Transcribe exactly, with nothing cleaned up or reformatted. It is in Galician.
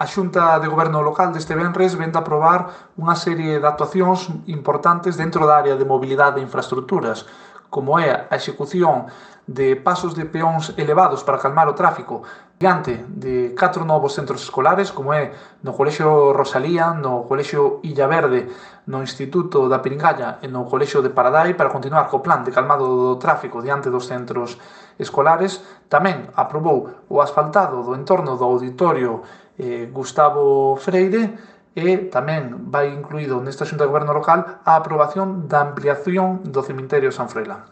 A Xunta de Goberno local deste venres vén de aprobar unha serie de actuacións importantes dentro da área de mobilidade e infraestructuras, como é a execución de pasos de peóns elevados para calmar o tráfico diante de catro novos centros escolares, como é no Colexio Rosalía, no Colexio Illaverde, no Instituto da Piringalla e no Colexio de Paradai, para continuar co plan de calmado do tráfico diante dos centros escolares. Tamén aprobou o asfaltado do entorno do auditorio eh, Gustavo Freire, e tamén vai incluído nesta Xunta de Goberno local a aprobación da ampliación do cemiterio San Froilán.